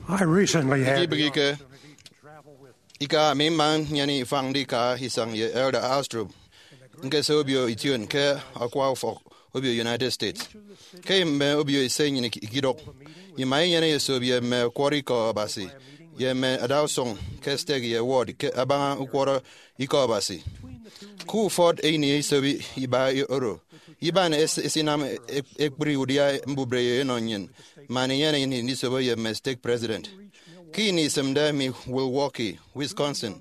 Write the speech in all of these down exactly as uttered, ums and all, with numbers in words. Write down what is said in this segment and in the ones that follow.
I recently had the Ikibịghike, ika ami mma nnyene ifañ ndika isañ ye Elder Astrup, ñkese obio ition ke akwa ufọk obio United States. Ke mme obio ise nnyịn ikidụk, ima inyene esop ye mme ọkwọrọ ikọ Abasi ye mme adausụñ ke stake ye ward ke abaña ukwọrọ ikọ Abasi. Ke ufọt ini isobi iba oro, iban es- esinam ek- ekpri udia mbubreyo enọ nnyịn, man inyene ini ndisobo ye mme stake president. Ke ini isịmde mi Milwaukee, Wisconsin,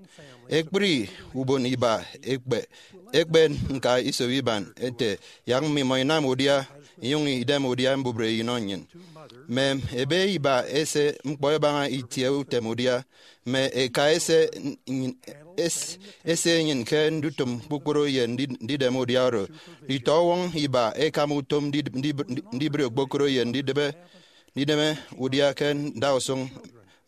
ekpri ubon iba ekpe ekpe ñka isobi iban ete, yak mmimọ inam udia inyụñ idem udia mbubreyo inọ nnyịn. Mme ebe iba ese ñkpọ ẹbaña itie utem udia, mme eka ese, es- ese enyịn ke ndutịm kpukpru ye ndi- ndidem udia oro. Nditọwọñ iba ẹkam utom ndi- ndi- ndibre okpokoro ye ndidịbe ndideme udia ke ndausụñ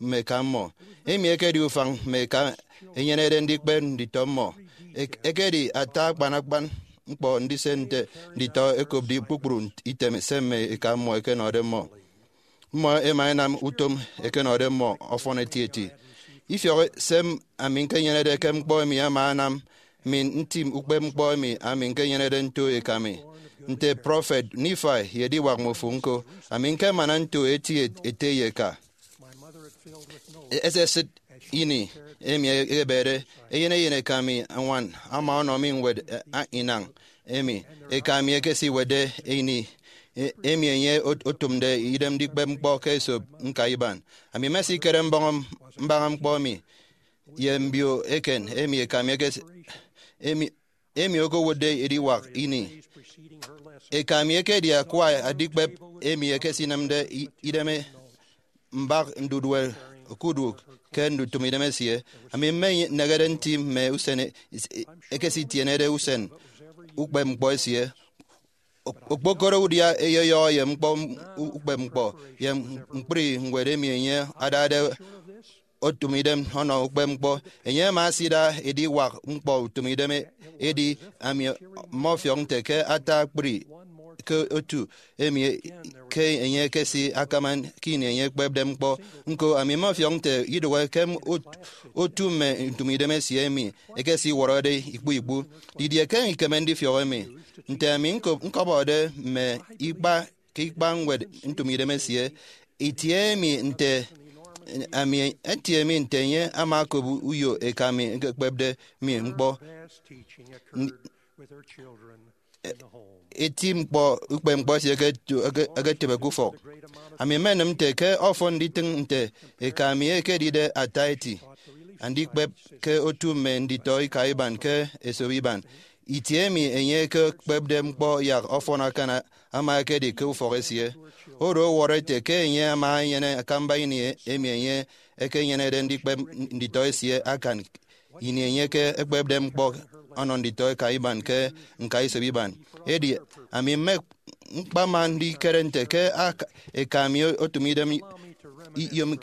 mme eka mmọ. Emi ekedi ufañ mme eka ẹnyenede ndikpep nditọ mmọ. Ek- ekedi ata akpan akpan ñkpọ ndise nte nditọ ẹkopde kpukpru item se mme eka mmọ ẹkenọde mmọ. Mmọ ẹma ẹnam utom ẹkenọde mmọ ọfọn etieti. Ifiọk se ami ñkenyenede ke ñkpọ emi ama anam mi ntim ukpepñkpọ emi ami ñkenyenede nto eka mi. Nte prọfet Nifai ye ediwak mmofo ñko, ami ñkemana nto eti ete ye eka. Esesịt ini emi ebede, eyen eyen eka mi añwan ama ọnọ mi ñwed, eh, inañ emi eka mi ekesiwetde ini, eh, emi enye ot- otụmde idem ndikpep ñkpọ ke esop ñka iban. Ami mmesikere mbọñ mbaña ñkpọ emi ye mbio eken emi eka mi ekes- emi emi okowotde ediwak ini. Eka mi ekedi akwa adikpep emi ekesinemde i- idem mbak ndudue okuduk ke ndutịm idem esie. Ami mmenehede nti mme usen e- ekesitienede usen ukpepñkpọ esie. Ok- okpokoro udia eyọyọhọ ye ñkpọ m- u- ukpepñkpọ ye ñkpri ñwed emi enye adade otụm idem ọnọ ukpepñkpọ. Enye ama asida ediwak ñkpọ utịm idem e- edi ami mmọfiọk nte ke ata akpri ke otu emi e- ke enye ekesi akama ke ini enye ekpepde ñkpọ. Ñko, ami mmọfiọk nte idụhe ke ot- otu mme ntụm idem esie emi ekesiwọrọde ikpu ikpu. Didie ke ikeme ndifiọk emi? Nte ami ñko- ñkọbọde mme ikpa ke ikpa ñwed ntụm idem esie, itie emi nte ami itie emi nte enye ama okop uyo eka mi ekekpepde mi ñkpọ. N- eti ñkpọ ukpepñkpọ esie eketu- eke- eketịbe ke ufọk. Ami mmenịm nte ke ọfọn nditịñ nte eka mi ekedide ata eti andikpep ke otu mme nditọ ika iban ke esop iban. Itie emi enye ekekpepde ñkpọ yak ọfọn akan ama ekedi ke ufọk esie. Oro ọwọrọ ete ke enye ama enyene akamba ini emi enye ekenyenede ndikpep nditọ esie akan ini enye ke ekpepde ñkpọ ọnọ nditọ eka iban ke ñka isop iban. Edi ami mme ñkpama ndikere nte ke ak- eka mi otụm idem i- iyom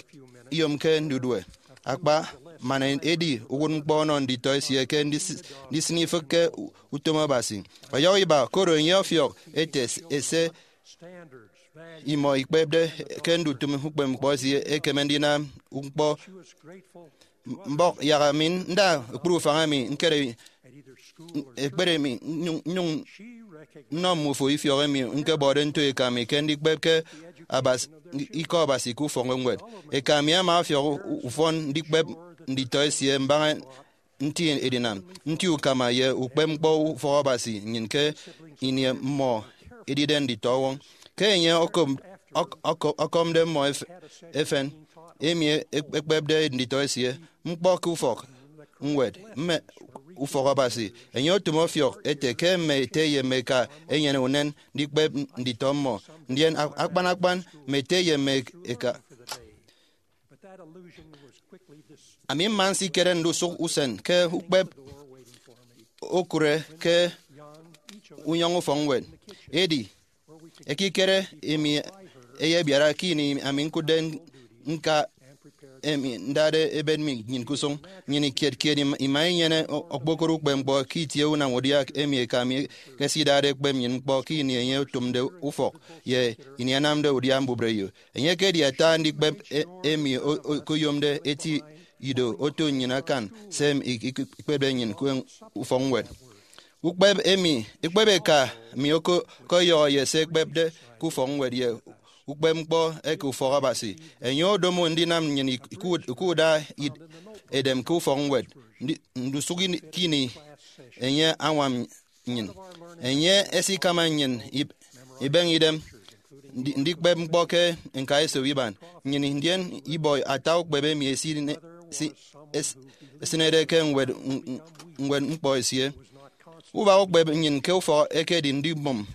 iyomke ndudue akpa, man edi uwụtñkpọ ọnọ nditọ esie ke ndis- ndisịn ifịk ke u- utom Abasi. Ọyọhọ iba, koro enye ọfiọk ete s- ese imọ ikpepde ke ndutịm ukpepñkpọ esie ekeme ndinam ñkpọ mbọk yak ami nda ekpri ufañ emi ñkere ekpere mi nyụñ nyụñ nnọ mmufo ifiọk emi ñkebọde nto eka mi ke ndikpep ke Abas- ikọ Abasi ke ufọk ñwed. Eka mi ama ọfiọk u- ufọn ndikpep nditọ esie mbaña nti edinam nti ukama ye ukpepñkpọ ufọk Abasi nnyịn ke ini mmọ edide nditọwọñ. Ke enye ọkọm- ọk- ọk- ọkọmde mmọ ef- efen, emi e- ekpepde nditọ esie ñkpọ ke ufọk ñwed mme ufọk Abasi, enye otụm ọfiọk ete ke mme ete ye mme eka enyene unen ndikpep nditọ mmọ, ndien a- akpan akpan mme ete ye mme eka. Ami mma nsikere ndusụk usen ke ukpep okụre ke unyọñ ufọkñwed. Edi ekikere emi eyebiara ke ini ami ñkụtde ñka emi ndade ebet mi nyin ke usụñ. Nnyịn kiet kiet ima, ima inyene o-, okpokoro ukpepñkpọ ke itie unam udia emi eka mi ekesidade ekpep nnyịn ñkpọ ke ini enye otụmde ufọk ye ini anamde udia mbubreyo. Enye ekedi ata andikpep e-, emi o-, o-, okoyomde eti ido oto nnyịn akan se emi ik-, ik-, ikpepde nnyịn ke ufọkñwed. Ukpep emi, ukpep eka mi oko-, okọyọhọ ye se ekpepde ke ufọkñwed ye ukpepñkpọ eke ufọk Abasi. Enye odomo ndinam nnyịn ik-, ikud-, ikuda id-, edem ke ufọkñwed. Ndi-, ndusụk ini, ke ini enye añwam nnyịn. Enye esikama nnyịn ib-, ibeñe idem ndi-, ndikpep ñkpọ ke ñkaesop iban nnyịn, ndien ibọ ata ukpep emi esine-, si-, es-, esịnede ke ñwed, ñwed ñkpọ esie. Ubak ukpep nnyịn ke ufọk ekedi ndibụm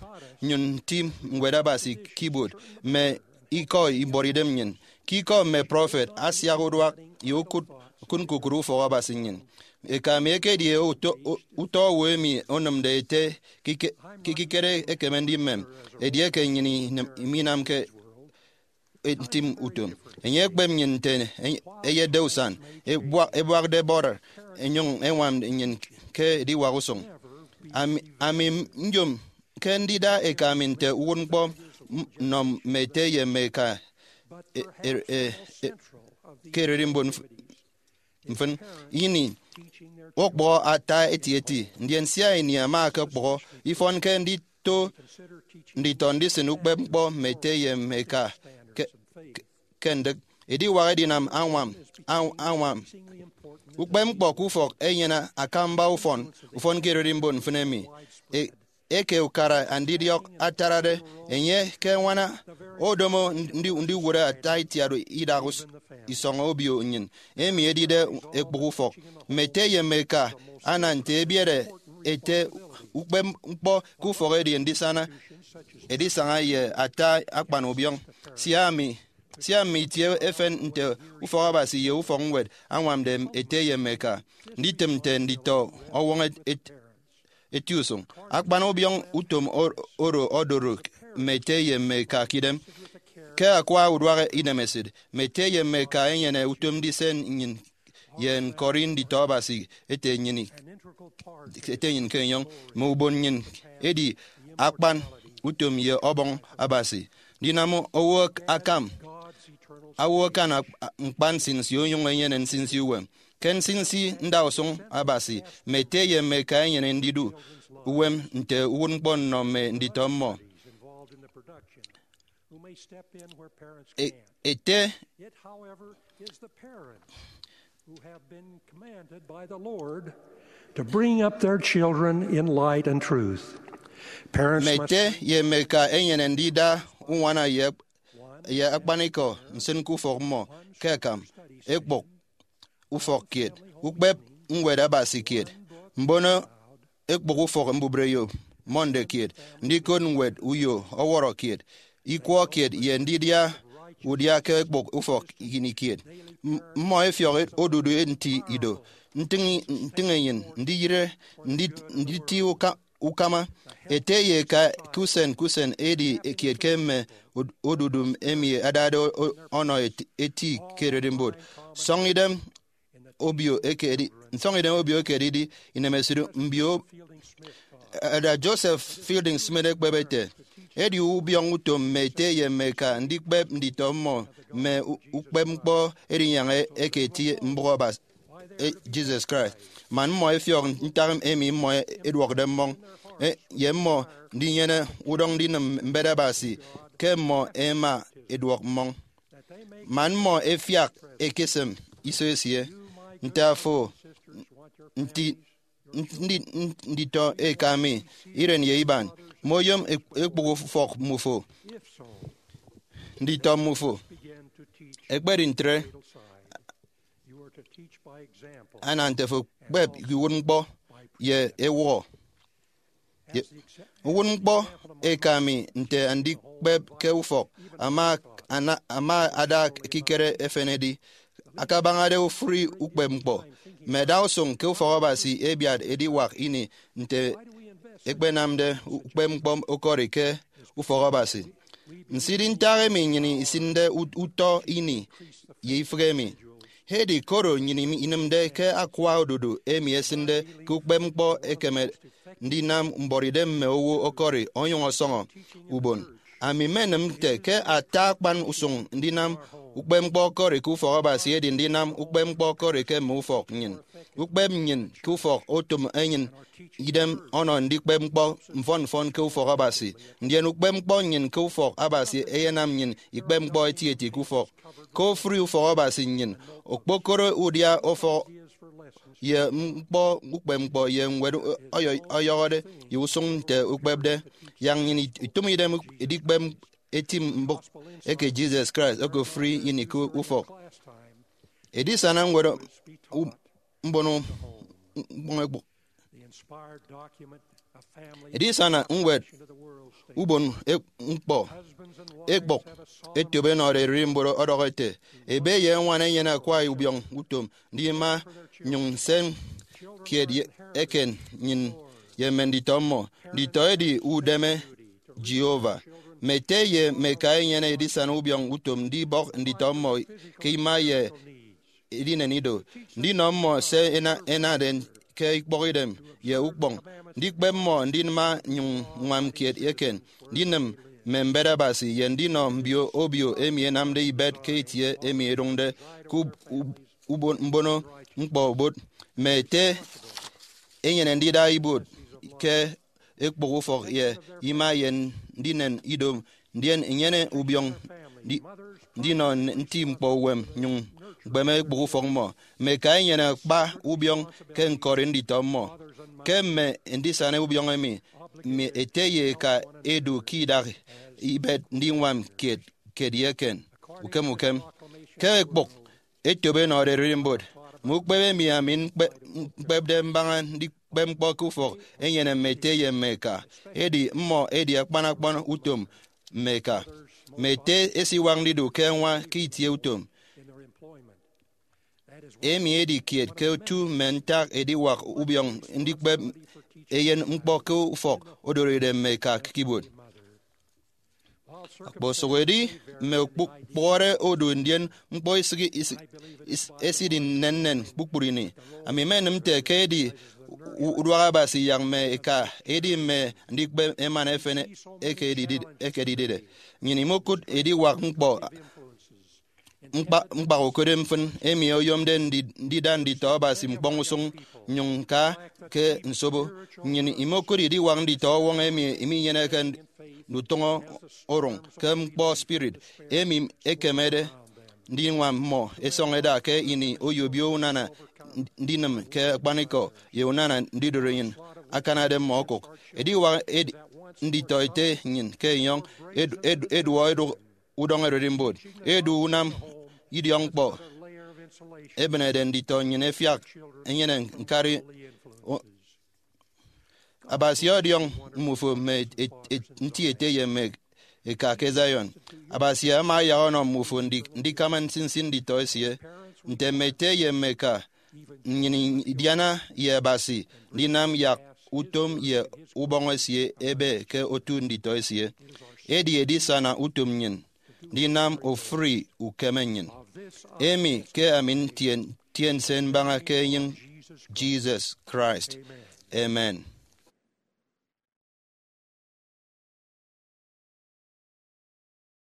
nnyụñ nti Ñwed Abasi ke ibuot mme ikọ ibuọt idem nnyịn. Ke ikọ mme prọfet, asiak uduak ye ukụt, ukụt ñkukụre ufọk Abasi nnyịn. Eka mi ekedi uto-, u-, utọ owo emi onịmde ete ke ike-, ke ikikere ekeme ndimem, edieke nnyịn inem-, minamke ntim utom. Enye ekpep nnyịn nte enye eyetde usan, ebua-, ebuakde bọrọ, enyụñ eñwam nnyịn ke ediwak usụñ. Ami, ami nyom ke ndida eka mi nte uwụtñkpọ m-, nnọ mme ete ye mme eka e-, e-, e-, e-, ke ererimbot mf-, mfịn. Ini okpụhọ ata etieti, ndien sia ini ama ọkọkpụhọ, ifọn ke ndito, nditọ ndisịn ukpepñkpọ mme ete ye mme eka ke, ke, ke ndịk. Ediwak edinam añwam, añ-, añwam ukpepñkpọ ke ufọk enyene akamba ufọn, ufọn ke ererimbot mfịn emi. E-, eke ukara andidiọk atarade, enye ke añwana odomo ndi-, ndiwụre ata itiat idak us-, isọñ obio nnyịn, emi edide ekpụk ufọk. Mme ete ye mme eka ana nte ebiere ete ukpepñkpọ ke ufọk edi ndisana edisaña ye ata akpan ubiọñ. Sia mi, sia mi itie efen nte ufọk Abasi ye ufọkñwed añwamde ete ye mme eka, nditịm nte nditọ ọwọñ et-, et-, eti usụñ. Akpan ubiọñ utom or-, oro odoro mme ete ye mme eka ke idem. Ke akwa uduak inemesịt, mme ete ye mme eka enyene utom ndise nnyịn ye ñkọri nditọ Abasi ete nnyịn, ete nnyịn ke enyọñ. Mme ubon nnyịn edi akpan utom ye ọbọñ Abasi. Ndinam owo ak-, akam, owo akan ak-, ñkpa nsinsi onyụñ enyene nsinsi uwem. Ke nsinsi ndausụñ Abasi, mme ete ye mme eka enyene ndidu uwem nte uwụtñkpọ nnọ mme nditọ mmọ. E-, ete, To bring up their children in light and truth. Parents mme must ete ye mme eka enyene ndida uñwana ye, ye akpanikọ nsịn ke ufọk mmọ ke akam ekpụk ufọk kiet, ukpep Ñwed Abasi kiet, mbono ekpụk ufọk mbubreyo Monday kiet, ndikot ñwed uyo ọwọrọ kiet, ikwọ kiet, ye ndidia udia ke ekpụk ufọk ini kiet. M-, mmọ efiọk odudu nti ido, ntịñ, ntịñ enyịn, ndiyịre, ndi-, nditi uka-, ukama. Ete ye eka ke usen ke usen edi kiet ke mme od-, odudu emi adade o-, o-, ọnọ eti, eti ke ererimbot. Sọñ idem obio ekedi, nsọñ idem obio ekedidi inemesịt mbio. Elder Joseph Fielding Smith ekpep ete, edi ubiọñ utom mme ete ye mme eka ndikpep nditọ mmọ mme u-, ukpepñkpọ edinyaña eke eti mbụk Abasi, e, Jesus Christ, man mmọ efiọk ntak emi mmọ eduọkde mmọñ, e, ye mmọ ndinyene udọñ ndinịm mbet Abasi ke mmọ ẹma ẹduọk mmọñ, man mmọ ẹfiak ẹkesịm iso esie. Nte afo, nti, ndi, nditọ eka mi, iren ye iban, moyom ek-, ekpụk ufọk mmufo. Nditọ mmufo ẹkpedi ntre, ana nte fo kpep ke uwụtñkpọ ye ewụhọ. Ye, uwụtñkpọ eka mi nte andikpep ke ufọk ama, ana, ama ada ekikere efen edi, akabañade ofụri ukpepñkpọ. Mme adausụñ ke ufọk Abasi ẹbiat ediwak ini nte ẹkpenamde ukpepñkpọ okori ke ufọk Abasi. Nsidịghe ntak emi nnyịn isịnde ut-, utọ ini ye ifịk emi. Edi koro nnyịn inịmde ke akwa odudu emi esịnde ke ukpepñkpọ ekeme ndinam mbuọtidem mme owo ọkọri onyụñ ọsọñọ ubon. Ami mmenịm nte ke ata akpan usụñ ndinam ukpepñkpọ ọkọri ke ufọk Abasi edi ndinam ukpepñkpọ ọkọri ke mme ufọk nnyịn. Ukpep nnyịn ke ufọk otom enyịn idem ọnọ ndikpep ñkpọ mfọn mfọn ke ufọk Abasi, ndien ukpepñkpọ nnyịn ke ufọk Abasi eyenam nnyịn ikpep ñkpọ etieti ke ufọk. Ke ofụri ufọk Abasi nnyịn, okpokoro udia ufọk ye ñkpọ ukpepñkpọ ye ñwed ọyọ- ọyọhọde ye usụñ nte ukpepde, yak nnyịn it- itụm idem edikpep eti mbụk eke Jesus Christ okofri ini ke ufọk. Edisana ñwed u- mbono ñkpọñ ekpụk. Edisana ñwed ubon ek- ñkpọ ekpụk etop enọde ererimbot ọdọhọ ete, ebe ye eñwan enyene akwa ubiọñ utom ndima nyụñ nsen kiet ye- eken nnyịn ye mme nditọ mmọ. Nditọ edi udeme Jehovah. Mme ete ye mme eka enyene edisana ubiọñ utom ndibọk nditọ mmọ ke ima ye edinen ido, ndinọ mmọ se ena- enade ke ikpọkidem ye ukpọñ, ndikpep mmọ ndima nyụñ ññwam kiet eken, ndinịm mme mbet Abasi, ye ndinọ mbio obio emi ẹnamde ibet ke itie emi ẹdụñde ke ub- ub- ubon- mbono ñkpọ obot. Mme ete enyene ndida ibuot ke ekpụk ufọk ye ima ye ndinen ido, ndien inyene ubiọñ ndi- ndinọ nti ñkpọ uwem nyụñ ñkpeme ekpụk ufọk mmọ. Mme eka enyene akpa ubiọñ ke ñkọri nditọ mmọ. Ke mme ndisana ubiọñ emi, mme ete ye eka edu ke idak ibet ndiñwam kiet kiet ye eken ukem ukem. Ke ekpụk etop enọde ererimbot, mme ukpep emi ami ñkpe- ñkpepde mbaña ndikpep ñkpọ ke ufọk enyene mme ete ye mme eka, edi mmọ edi akpan akpan utom mme eka. Mme ete esiwak ndidu ke añwa ke itie utom. Emi edi kiet ke otu mme ntak ediwak ubiọñ ndikpep eyen ñkpọ ke ufọk odoride mme eka ke ibuot. Okposụk edi mme okpụkpọhọre odu, ndien ñkpọ isịk- isịk- is- esidi nnennen kpukpru ini. Ami mmenịm nte ke edi u- uduak Abasi yak mme eka edi mme andikpep emana efen eke edidi- eke edidide. Nnyịn imokụt ediwak ñkpọ ñkpa- ñkpak okode mfịn emi oyomde ndi- ndida nditọ Abasi ñkpọñ usụñ nnyụñ ñka ke nsobo. Nnyịn imokụt ediwak nditọ ọwọñ emi minyeneke ndutụñọ orụñ ke ñkpọ spirit emi ekemede ndiñwam mmọ. Esọñ eda ke ini oyobio unana ndinịm ke akpanikọ ye unana ndidoro enyịn akanade mmọ okụk. Ediwak edi- nditọ ete nnyịn ke enyọñ edu- edu- eduọ edụk udọñ ererimbot, edu unam idiọkñkpọ, ebịnede nditọ nnyịn ẹfiak ẹnyene ñkari. O- Abasi ọdiọñ mmufo mme et- et- nti ete ye mme eka ke Zion. Abasi ama ayak ọnọ mmufo ndi- ndikama nsinsi nditọ esie. Nte mme ete ye mme eka, nnyịn idiana ye Abasi ndinam yak utom ye ubọñ esie ebe ke otu nditọ esie. Edi edisana utom nnyịn ndinam ofụri ukeme nnyịn. Emi ke ami ntien, ntien se mbaña ke enyịñ Jesus Christ. Amen.